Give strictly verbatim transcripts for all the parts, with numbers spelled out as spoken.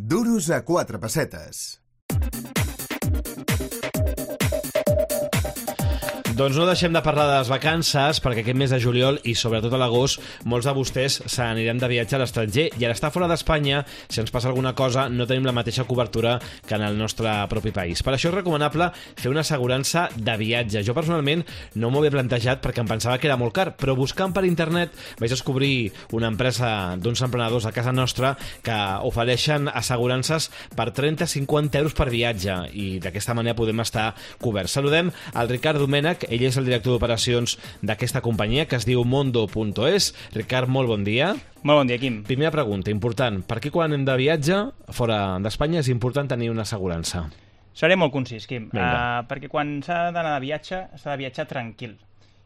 Duros a quatre pessetes. Doncs no deixem de parlar de les vacances, perquè aquest mes de juliol i sobretot a l'agost molts de vostès se n'aniran de viatge a l'estranger i a l'estar fora d'Espanya, si ens passa alguna cosa, no tenim la mateixa cobertura que en el nostre propi país. Per això és recomanable fer una assegurança de viatge. Jo personalment no m'ho havia plantejat perquè em pensava que era molt car, però buscant per internet vaig descobrir una empresa d'uns emprenedors a casa nostra que ofereixen assegurances per trenta a cinquanta euros per viatge i d'aquesta manera podem estar coberts. Saludem al Ricard Domènech. Ell és el director d'operacions d'aquesta companyia que es diu Mondo punt es. Ricard, molt bon dia. Molt bon dia, Quim. Primera pregunta, important. Per què quan anem de viatge fora d'Espanya és important tenir una assegurança? Seré molt concís, Quim, uh, perquè quan s'ha d'anar de viatge s'ha de viatjar tranquil.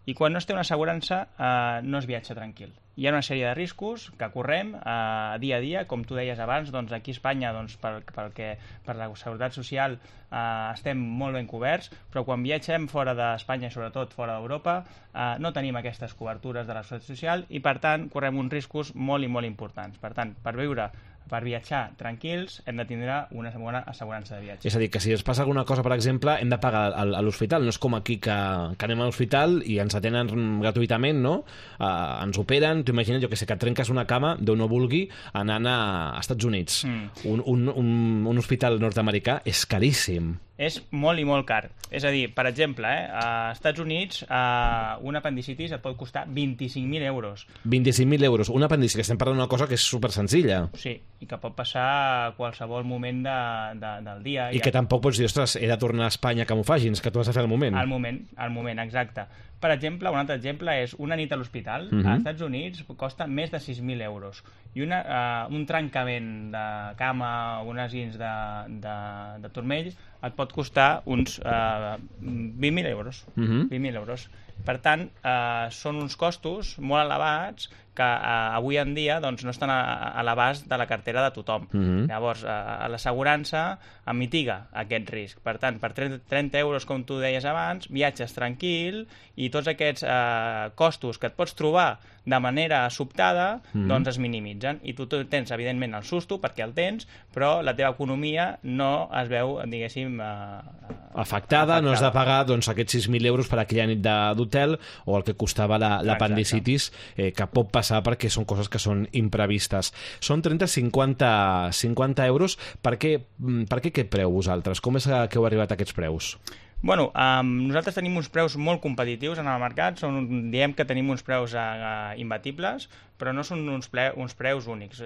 I quan no es té una assegurança uh, no es viatja tranquil. Hi ha una sèrie de riscos que correm uh, dia a dia, com tu deies abans, doncs aquí a Espanya doncs, per, per, que, per la Seguretat Social uh, estem molt ben coberts, però quan viatgem fora d'Espanya i sobretot fora d'Europa uh, no tenim aquestes cobertures de la Seguretat Social i per tant correm uns riscos molt i molt importants. Per tant, per viure per viatjar tranquils, hem de tindre una bona assegurança de viatge. És a dir, que si ens passa alguna cosa, per exemple, hem de pagar a l'hospital. No és com aquí que, que anem a l'hospital i ens atenen gratuïtament, no? Uh, ens operen, t'ho imagines, jo que sé, que et trenques una cama, Déu no vulgui, anant a Estats Units. Mm. Un, un, un, un hospital nord-americà és caríssim. És molt i molt car. És a dir, per exemple, eh, a Estats Units eh, un apendicitis et pot costar vint-i-cinc mil euros. vint-i-cinc mil euros. Un apendicitis, estem parlant d'una cosa que és super senzilla. Sí, i que pot passar a qualsevol moment de, de, del dia. I ja... que tampoc pots dir, ostres, he de tornar a Espanya que m'ho fagin, que tu has de fer al moment. Al moment, al moment, exacte. Per exemple, un altre exemple és una nit a l'hospital, uh-huh. als Estats Units costa més de sis mil euros. I una, uh, un trencament de cama o unes ins de, de, de turmell et pot costar uns uh, vint mil euros. Uh-huh. vint mil euros. Per tant, uh, són uns costos molt elevats que uh, avui en dia doncs, no estan a, a l'abast de la cartera de tothom. Uh-huh. Llavors, uh, l'assegurança mitiga aquest risc. Per tant, per trenta euros, com tu deies abans, viatges tranquil i tots aquests uh, costos que et pots trobar de manera sobtada, mm. doncs es minimitzen. I tu tens, evidentment, el susto, perquè el tens, però la teva economia no es veu, diguéssim... Uh, afectada, afectada, no has de pagar doncs, aquests sis mil euros per aquella nit d'hotel o el que costava l'apendicitis, eh, que pot passar perquè són coses que són imprevistes. Són trenta a cinquanta euros. Per què, per què aquest preu vosaltres? Com és que heu arribat a aquests preus? Bueno, um, nosaltres tenim uns preus molt competitius en el mercat, són, diem que tenim uns preus uh, imbatibles, però no són uns, ple, uns preus únics.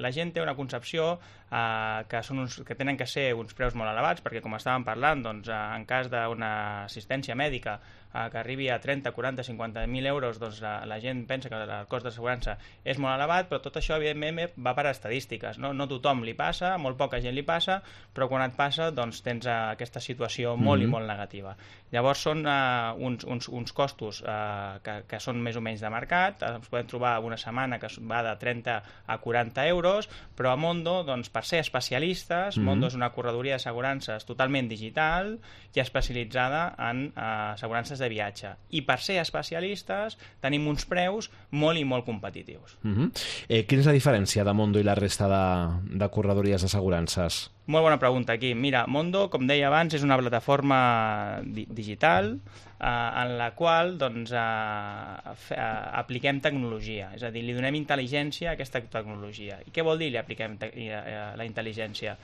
La gent té una concepció uh, que, són uns, que tenen que ser uns preus molt elevats, perquè com estàvem parlant, doncs, uh, en cas d'una assistència mèdica uh, que arribi a trenta, quaranta, cinquanta mil euros, doncs uh, la gent pensa que el cost d'assegurança és molt elevat, però tot això, evidentment, va per estadístiques. No, no tothom li passa, molt poca gent li passa, però quan et passa, doncs tens uh, aquesta situació molt mm-hmm. i molt negativa. Llavors són uh, uns, uns, uns costos uh, que, que són més o menys de mercat, ens podem trobar una setmana que va de trenta a quaranta euros, però a Mondo, doncs, per ser especialistes, mm-hmm. Mondo és una corredoria d'assegurances totalment digital i especialitzada en uh, assegurances de viatge. I per ser especialistes tenim uns preus molt i molt competitius. Mm-hmm. eh, quina és la diferència de Mondo i la resta de, de corredories d'assegurances? Molt bona pregunta, aquí. Mira, Mondo, com deia abans, és una plataforma di digital eh, en la qual doncs, eh, fe, eh, apliquem tecnologia, és a dir, li donem intel·ligència a aquesta tecnologia. I què vol dir li apliquem eh, la intel·ligència?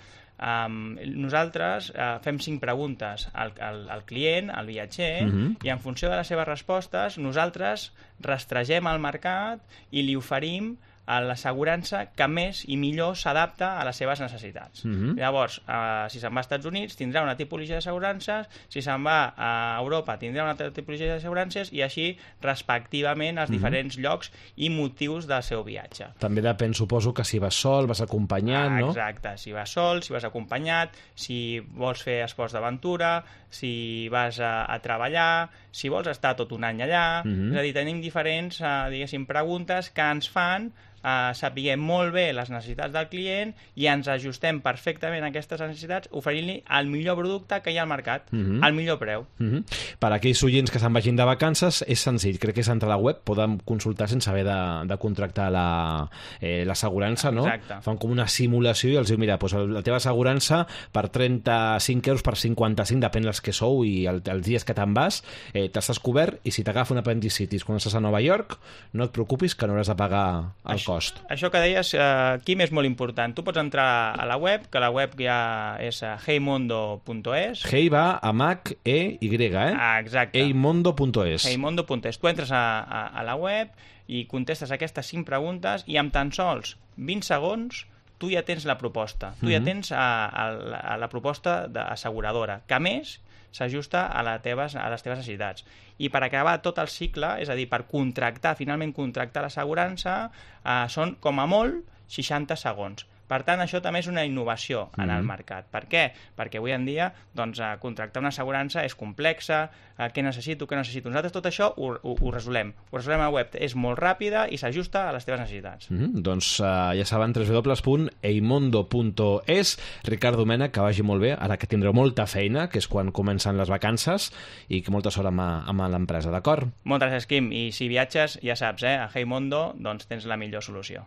Um, nosaltres uh, fem cinc preguntes al, al, al client, al viatger, uh-huh. i en funció de les seves respostes nosaltres rastregem el mercat i li oferim a l'assegurança que més i millor s'adapta a les seves necessitats. Uh-huh. Llavors, eh, si se'n va als Estats Units tindrà una tipologia d'assegurances, si se'n va a Europa tindrà una altra tipologia d'assegurances i així respectivament als uh-huh. diferents llocs i motius del seu viatge. També depèn, suposo, que si vas sol, vas acompanyat, ah, no? Exacte, si vas sol, si vas acompanyat, si vols fer esports d'aventura, si vas a, a treballar, si vols estar tot un any allà, uh-huh. és a dir, tenim diferents, eh, diguéssim, preguntes que ens fan eh, sapiguem molt bé les necessitats del client i ens ajustem perfectament a aquestes necessitats oferint-li el millor producte que hi ha al mercat, Mhm. al millor preu. Mhm. Per a aquells oients que se'n vagin de vacances, és senzill. Crec que és entrar a la web, poden consultar sense haver de, de contractar la, eh, l'assegurança, no? Exacte. Fan com una simulació i els diu, mira, doncs la teva assegurança per trenta-cinc euros, per cinquanta-cinc, depèn dels que sou i el, els dies que te'n vas, eh, t'estàs cobert i si t'agafa un apendicitis quan estàs a Nova York, no et preocupis que no hauràs de pagar el Això, cost. això que deies, eh, Quim, és molt important. Tu pots entrar a la web, que la web ja és eh, heymondo punt es. Hey va amb H, E, Y, eh? Ah, exacte. heymondo punt es. heymondo punt es. Tu entres a, a, a la web i contestes aquestes cinc preguntes i amb tan sols vint segons tu ja tens la proposta. Tu ja Mhm. tens a, a, la, a la proposta d'asseguradora, que a més s'ajusta a, la teves, a les teves necessitats. I per acabar tot el cicle, és a dir, per contractar, finalment contractar l'assegurança, eh, són com a molt seixanta segons. Per tant, això també és una innovació en el Mhm. mercat. Per què? Perquè avui en dia doncs, eh, contractar una assegurança és complexa, eh, què necessito, què necessito. Nosaltres tot això ho, ho, ho resolem. Ho resolem a la web. És molt ràpida i s'ajusta a les teves necessitats. Mm -hmm. Doncs uh, ja saben, w w w punt heymondo punt es. Ricard Domènech, que vagi molt bé, ara que tindreu molta feina, que és quan comencen les vacances, i que molta sort amb, amb l'empresa, d'acord? Moltes gràcies, Quim. I si viatges, ja saps, eh, a Heymondo doncs tens la millor solució.